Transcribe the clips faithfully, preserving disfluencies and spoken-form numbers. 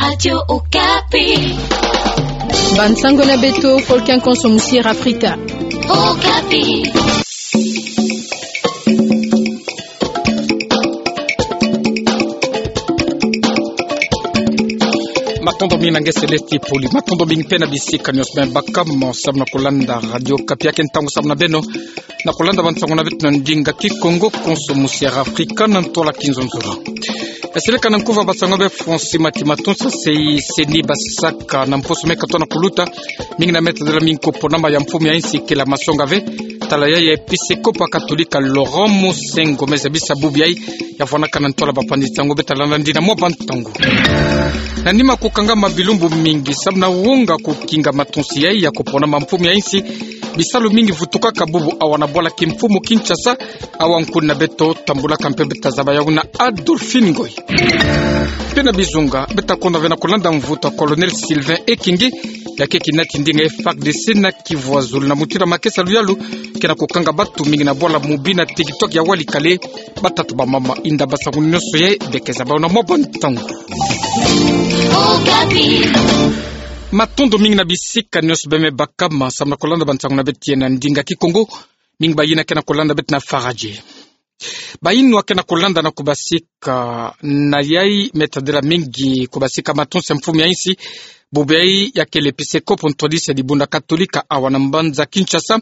Radio Okapi. Bansango na beto, Volcan konso musier Afrika. Okapi. Matondo mingi na nge Celeste Poli. Matondo mingi mpe na bisika nyonso beno baka mo samu na kolanda Radio Okapi. Ya ke ntangu samu na beno na kolanda bansango na beto na ndinga Kikongo konso musier Afrika na ntwala Kinzonzolo. Yaseleka na nkuva bansango be Francis Mati Matonsa. Sei CENI basaka na mposo meka tona kuluta, mingi na meta dela mingi ko ponama ya mfumu ya insi kela masonga ve, tala ya ya episekopo katolika Laurent Monsengwo me zabisa bubu yai, ya vwanaka na ntwala bapanzi nsangu. Beta landa ndi na mwa bantangu. Na nima ko kangama bilumbu mingi samu na wonga ko kinga matonsi yai ya ko ponama mfumu ya insi, bisalu mingi vutukaka bubu awa na bwala kimfumu Kinshasa, awa nkuna beto tambulaka mpe beta zaba yau na Adolphine Ngoy. Mpe na bizunga, beta konda ve na kolanda mvutu ya Colonel Sylvain Ekenge, ya ke kinati ndinga FARDC na Kivu ya Zulu na mutindu ya makesa luyalu, ke na ko kanga batu mingi na bwala mubi na TikTok ya walikale, batatu bamama. Inda bansangu nyonso yai, beke zaba yau na mwa bantangu. Okapi. Matondo mingi na bisika nyonso beno me baka mo samu na kolanda bansangu na beto yai na ndinga Kikongo, mingi bayina ke na kolanda beto na Faradje. Bayinwa ke na kolanda na kubasika na yai, meta dela mingi kubasika matonsi ya mfumu ya insi, bubu yai ya kele episekopo ntwadisi ya dibundu katolika awa na mbanza Kinshasa,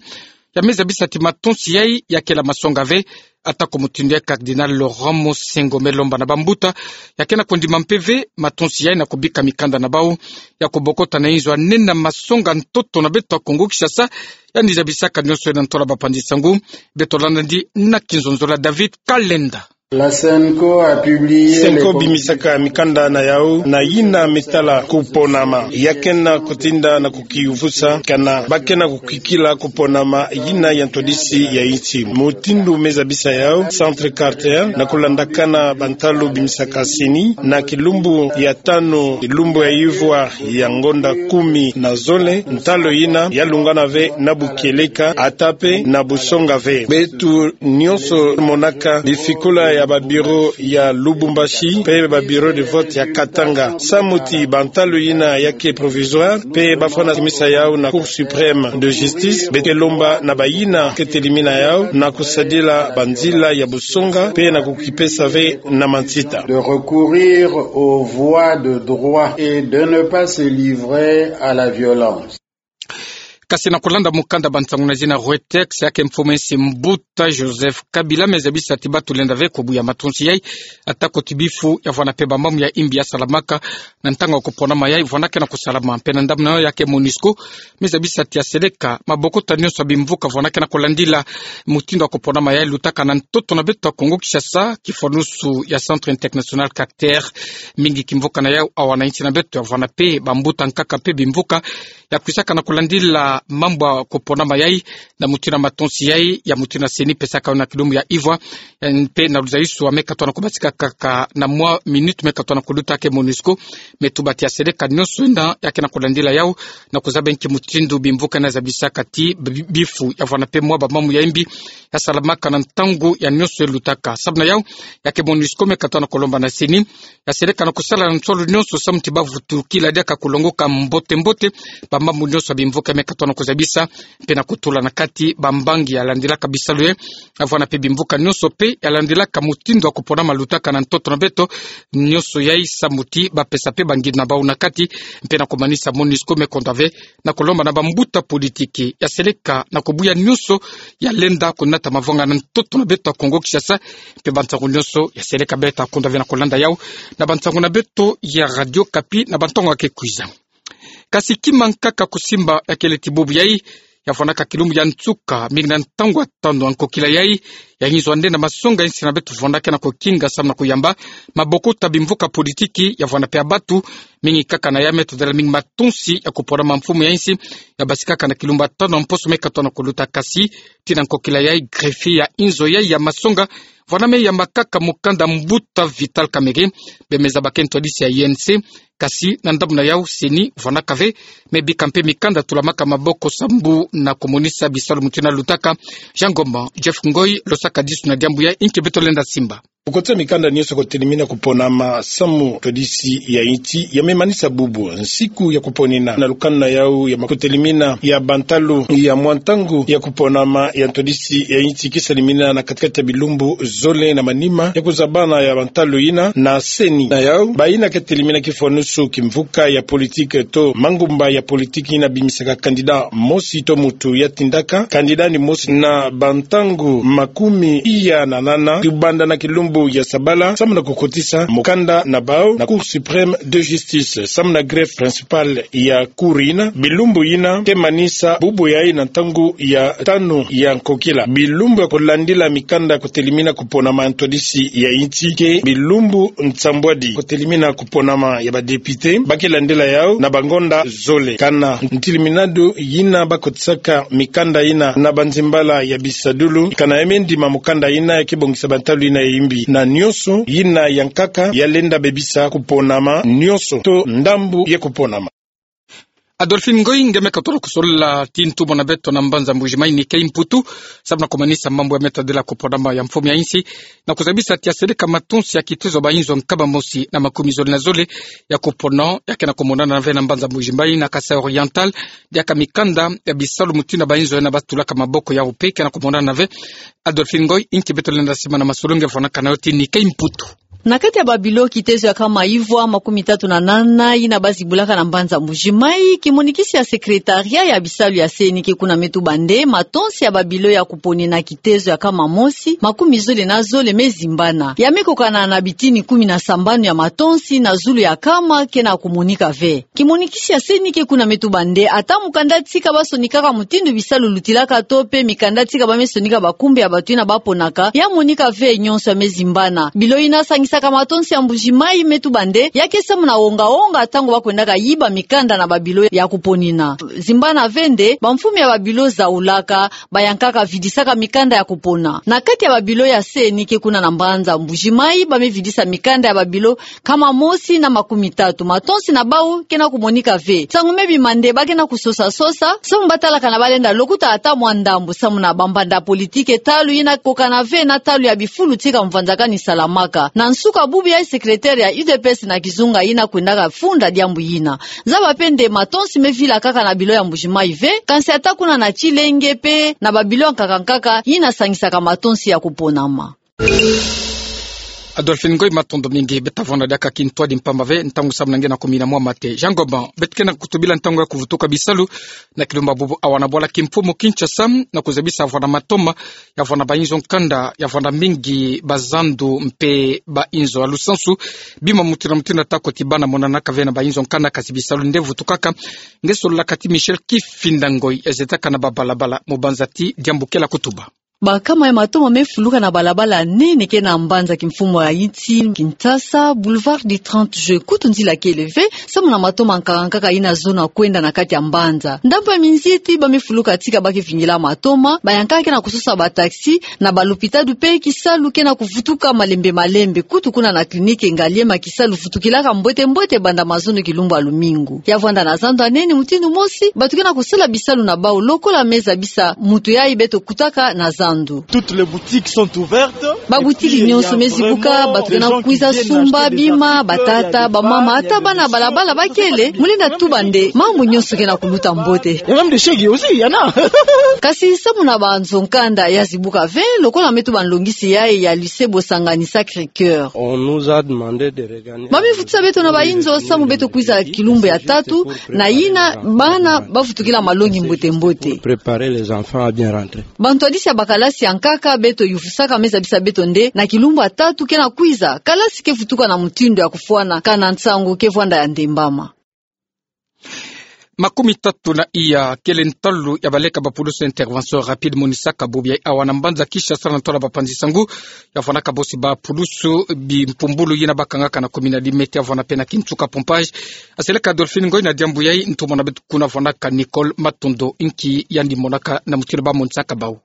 ya me zabisa ti matonsi yai ya kela masonga ve, atako mutindu ya Cardinal Laurent Monsengwo me lomba na bambuta, ya ke na kondima mpe ve matonsi yai na kubika mikanda na bau, ya kubokota na inzo ya nene masonga ntoto na beto ya Kongo Kinshasa, yandi zabisaka nyonso yai na ntwala bapanzi nsangu. Beto landa ndi na Kinzonzolo ya David Kalenda. La CENCO a publié CENCO les bimisaka mikanda na yau na yina me tala ko ponama, ya ke na kutinda na kukiyuvusa, kana ba ke na kukikila ko ponama yina ya ntwadisi ya insi. Mutindu me zabisa yau, Centre Carter, na kulandakana bantalu bimisaka CENI, na kilumbu ya tanu, kilumbu ya ivwa ya ngonda kumi na zole, ntalu yina ya lungana ve na bukieleka, ata mpe na busonga ve. Beto nyonso monaka bifikula ya ba bureau ya Lubumbashi, mpe ba bureau de vote ya Katanga. Samu ti bantalu yina ya ke provisoire, mpe bafwana kimisa yau na Cour suprême de justice, beto ke lomba na bayina ke telimina yau, na kusadila banzila ya busonga, mpe na kukipesa ve na mansita. De recourir aux voies de droit et de ne pas se livrer à la violence. Kasi na kulanda mukanda bansangu na zina Reuters, ya ke mfumu ya insi mbuta Joseph Kabila me zabisa ti batu lenda ve kubuya matonsi yai, atako ti bifu ya vwana mpe bamamu ya imbi ya salamaka na ntangu ya kuponama yai, vwana ke na kusalama. Mpe na ndambu na yau ya ke MONUSCO, me zabisa ti ya seleka mabokota nyonso ya bimvuka vwana ke na kulandila mutindu ya kuponama yai lutaka na ntoto na beto ya Kongo Kinshasa, kifwanusu ya Centre International Carter, mingi kimvuka na yau awa na insi na beto, ya vwana mpe bambuta nkaka mpe bimvuka ya kwisaka na kulandila mambu ya kuponama yai, na mutindu ya matonsi yai, ya mutindu ya CENI pesaka yau na kilumbu ya ivwa, eh, mpe na luzaisu ya me katona kubasika kaka na mwa minute me katona kuluta, ya ke MONUSCO me tuba ti ya seleka nyonso yina ya ke na kulandila yau, na kuzaba nki mutindu bimvuka yina zabisaka ti bi-, bifu ya vwana mpe mwa bamamu ya imbi ya salamaka na ntangu ya nyonso elutaka. Samu na yau, ya ke MONUSCO me katona kulomba na CENI ya seleka na kusala na nsolo nyonso samu ti bavutukila diaka kulongoka mbote mbote bamamu nyonso ya bimvuka me katona kuzabisa, mpe na kutula na kati bambangi ya landilaka bisalu yai, ya vwana mpe bimvuka nyonso mpe ya landilaka mutindu ya kuponama lutaka na ntoto na beto, nyonso yai samu ti bapesa mpe bangindu na bau na kati, mpe na kumanisa MONUSCO me konda ve na kulomba na bambuta politiki ya seleka na kubuya nyonso ya lenda kunata mavanga na ntoto na beto ya Kongo Kinshasa, mpe bansangu nyonso ya seleka beta konda ve na kulanda yau na bansangu na beto ya Radio Okapi na bantangu ya ke kwiza. Kasi kima nkaka kusimba ya kele ti bubu yai, ya vwanaka kilumbu ya nsuka, mingi na ntangu ya tanu ya nkokila yai, ya ngizo ya nde na masonga ya insi na beto vwana ke na kukinga samu na kuyamba mabokota bimvuka politiki, ya vwana mpe ya batu, mingi kaka na ya me todela mingi matonsi ya kuponama mfumu ya insi, ya basikaka na kilumbu ya tanu ya mposo me katona kuluta. Kasi tii na nkokila yai, greffier ya inzo yai ya masonga, vwana me yamba kaka mukanda mbuta Vital Kamerhe, be me zaba ke ntwadisi ya U N C, kasi na ndambu na yau CENI vwanaka ve, me bika mpe mikanda tulamaka maboko sambu na kumonisa bisalu mutindu ya lutaka. Jean Ngoma, Jeff Ngoy, losaka disu na diambu yai, inki beto lenda simba. Kukotisa mikanda nionso kotelimina kuponama samu ntwadisi ya insi ya me manisa bubu nsiku ya kuponina na lukanu na yau ya ma-, kotelimina ya bantalu ya mwa ntangu ya kuponama ya ntwadisi ya insi ke salimina na katikati ya bilumbu zole na manima ya kuzabana ya bantalu yina na CENI. Na yau, bayina ke telimina kifwanusu kimvuka ya politiki to mangumba ya politiki yina bimisaka candidat mosi to muntu ya tindaka candidat ni mosi na bantangu makumi iya na nana, tubanda na kilumbu ya sabala, samu na kukotisa mukanda na bau na Cour suprême de justice, samu na greffe principale ya cour yina, bilumbu yina ke manisa bubu yayi na ntangu ya tanu ya nkokila. Bilumbu ya kulandila mikanda kotelimina kuponama ya ntwadisi ya insi ke bilumbu nsambwadi kotelimina kuponama ya badepite ba ke landila yau na bangonda zole. Kana ntiliminadu yina ba kotisaka mikanda yina na banzimbala ya bisadulu, kana ya me ndima mukanda yina ya ke bongisa bantalu yina ya imbi na nionso yina ya nkaka ya lenda bebisa kuponama nionso to ndambu ya kuponama. Adolphine Ngoy, nge me katolo kusolola ti ntumwa na beto na mbanza Mbujimayi Nikey Mputu, samu na kumanisa mambu ya me tadila kuponama ya mfumu ya insi, na kuzabisa ti ya seleka matonsi ya kitezo ya bainzo nkama mosi na makumi zole na zole ya kupona, ya ke na kumonana na ve na mbanza Mbujimayi na Kasaï Oriental, diaka mikanda ya bisalu mutindu ya bainzo yina ba tulaka maboko yau mpe ke na kumonana na ve. Adolphine Ngoy, inki beto lenda sima na masolo nge fwanaka na yo ti Nikey Mputu. Na kati ya babilo kitezo ya nkama ivwa makumi tatu na nana yina ba zibulaka na mbanza Mbujimayi, kimonikisi ya secrétariat ya bisalu ya CENI ke kuna me tuba nde matonsi ya babilo ya kuponina kitezo ya nkama mosi, makumi zole na zole me zimbana. Ya me kokana na bitini kumi na sambanu ya matonsi na zulu ya nkama ke na kumonika ve. Kimonikisi ya CENI ke kuna me tuba nde ata mukanda tika ba sonikaka mutindu bisalu lutilaka to mpe mikanda tika ba me sonika bakumbi ya bato yina ba ponaka, ya monika ve, nionso ya me zimbana. Bilo yina sangisaka matonsi ya Mbujimayi me tuba nde ya ke samu na wonga-wonga ntangu ba kwendaka yiba mikanda na babilo ya kuponina. Zimbana ve nde bamfumu ya babilo zaulaka, bayankaka vidisaka mikanda ya kupona. Na kati ya babilo ya CENI ke kuna na mbanza Mbujimayi, ba me vidisa mikanda ya babilo nkama mosi na makumi tatu. Matonsi na bau ke na kumonika ve. Nsangu me bima nde ba ke na kusosa-sosa, samu ba talaka na ba lenda lokuta ata mwa ndambu, samu na bambanda politiki talu yina kokana ve na talu ya bifulu tika mvanzakani salamaka. Na nsuka bubu yayi secrétaire ya U D P S na kizunga yina kwendaka funda diambu yina. Zaba mpe nde matonsi me vila kaka na bilo ya Mbujimayi ve, kansi ata kuna na Tshilenge mpe na babilo ya nkaka-nkaka yina sangisaka matonsi ya kuponama. Adolphine Ngoy, matondo mingi. Beta vwanda diaka kintwadi mpamba ve, ntangu samu na nge na kumina mwa mate. Jean Goban, beto ke na kutubila ntangu ya kuvutuka bisalu na kilumbu bubu awa na bwala kimfumu Kinshasa, na kuzabisa vwanda matoma ya vwanda bainzo nkanda, ya vwanda mingi bazandu mpe bainzo. Ha lusansu, bima mutindu na mutindu ata koti bana monanaka ve na bainzo nkanda, kasi bisalu nde vutukaka. Nge sololaka ti Michel Kifinda Ngoy, ezetaka na babalabala, mubanza ti diambu kela kutuba. Bankama ya matoma me fuluka na balabala nene ke na mbanza kimfumu ya insi Kinshasa, boulevard du trente juin, kutu nzila kele ve, samu na matoma nkaka-nkaka yina zona kwenda na kati ya mbanza. Ndambu ya minziti ba me fuluka tika ba ke vingila matoma, bayankaka ke na kusosa bataxi, na balopitalo mpe kisalu ke na kuvutuka malembe-malembe, kutu kuna na clinique Ngaliema kisalu vutukilaka mbote-mbote banda mazono kilumbu ya lumingu. Ya vwanda na zandu ya nene mutindu mosi, bato ke na kusala bisalu na bau, lokola me zabisa mutu yayi beto kutaka na zandu. Toutes les boutiques sont ouvertes. Babutiki nionso me zibuka, bato ke na kwiza sumba bima, batata, bamama, ata bana balabala ba kele, mu lenda tuba nde mambu nionso ke na kuluta mbote. Il y a même des chèques aussi, il y en a. Kasi samu na banzo nkanda ya zibuka ve, lokola me tuba nlongisi yayi ya lycée Bosangani Sacré-Cœur. On nous a demandé de regarder. Ba me vutisa beto na bainzo samu beto kwiza kilumbu ya tatu, na yina bana ba vutukila malongi mbote-mbote. Pour préparer les enfants à bien rentrer. Bantwadisi ya bakalasi ya nkaka beto yufusaka me zabisa beto nde na kilumbu ya tatu ke na kwiza, kalasi ke vutuka na mutindu ya kufwana, kana nsangu ke vwanda ya ndembama. Makumi tatu na iya kele ntalu ya baleka bapulusu intervention rapide monisaka bubu yayi awa na mbanza Kinshasa na ntwala bapanzi sangu ya vwanaka bosi bapulusu bimpumbulu yina ba kangaka na kumi na limete ya vwana mpe na kinsuka pompage. Aseleka Adolphine Ngoy na diambu yayi, ntumwa na beto kuna vwanaka Nicole Matondo, inki yandi monaka na mutindu ba monisaka bau.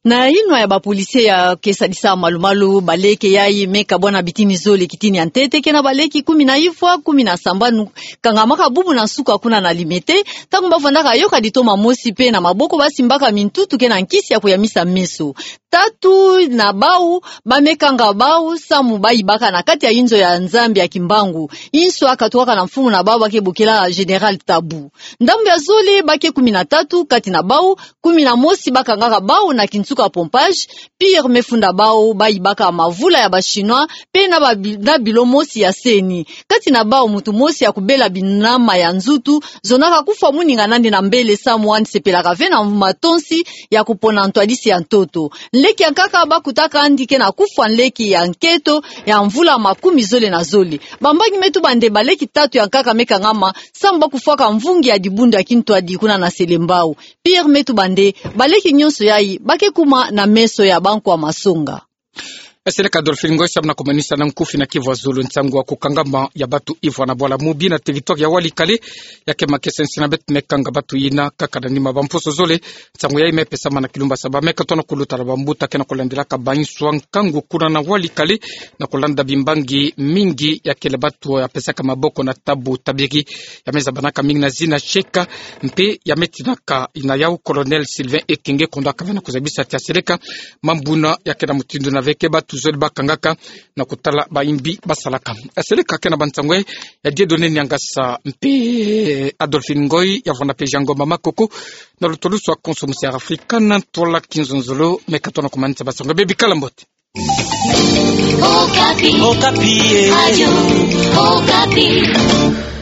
Na yinwa ya bapolisie ya ke sadisa malu-malu, baleke yayi me kabwana bitini zole kitini ya ntete, ke na baleke kumi na ivwa, kumi na sambanu, kangamaka bubu na nsuka kuna na limete, ntangu ba vwandaka yoka ditoma mosi mpe na maboko ba simbaka mintutu ke na nkisi ya kuyamisa meso. tatu na bau bamekanga bau samu bayibaka na kati ya inzo ya Nzambi ya Kimbangu, inso yakatukaka na mfunu na bau bakebokela Général Tabu. Ndambu ya zole bake kumi na tatu, kati na bau kumi na mosi bakangaka bau na kinsuka pompage, pire mefunda bau bayibaka mavula ya ba Chinois, mpe na ba bi-, na bilo mosi ya CENI. Kati na bau mutu mosi yakubela binama ya nzutu, zonaka kufwa muninga nandi na mbele samu wani sepelaka ve na matonsi ya kupona ntwadisi ya ntoto. Nleki ya nkaka bakutaka andi ke na kufwa nleki ya nketo ya mvula makumi zole na zole. Bambangi meto bande baleki tatu ya nkaka mekangama, samu bakufwaka mvungi ya dibundu ya kintwadi kuna na Selembao. Pire meto bande baleki nyonso yayi bakekuma na meso ya bankwa masonga. Seleka Adolphine Ngoy samu na kumanisa na nkufi na kivu ya zulu nsangu ya kukangama ya batu ivwa na bwala Mubi na territoire ya Walikale, ya ke makese nsi na beto mekanga batu yina kaka na nima bamposo zole. Nsangu yayi mepesama na kilumba saba meka tona kuluta na bambuta ke na kulandelaka bainso ya nkangu kuna na Walikale, na kulanda bimbangi mingi ya kele batu ya pesaka maboko na Tabu Tabiri, ya mezabanaka mingi na zina Sheka, mpe ya metinaka ina yau Colonel Sylvain Ekenge, kondo akava na kuzabisa tia seleka mambu na ya ke na mutindu na veke batu zole bakangaka na kutala bayimbi basalaka. Seleka ke na bansangu ya Dieudonné Niangasa mpe Adolphine Ngoy, ya vwanda mpe Jean Ngoma Makoko, na lutulusu ya Konso Musi ya Afrika na ntola kinzonzolo, meka tona kumanisa bansangu. Bebikala mbote. Okapi. Okapi, eh. Radio Okapi.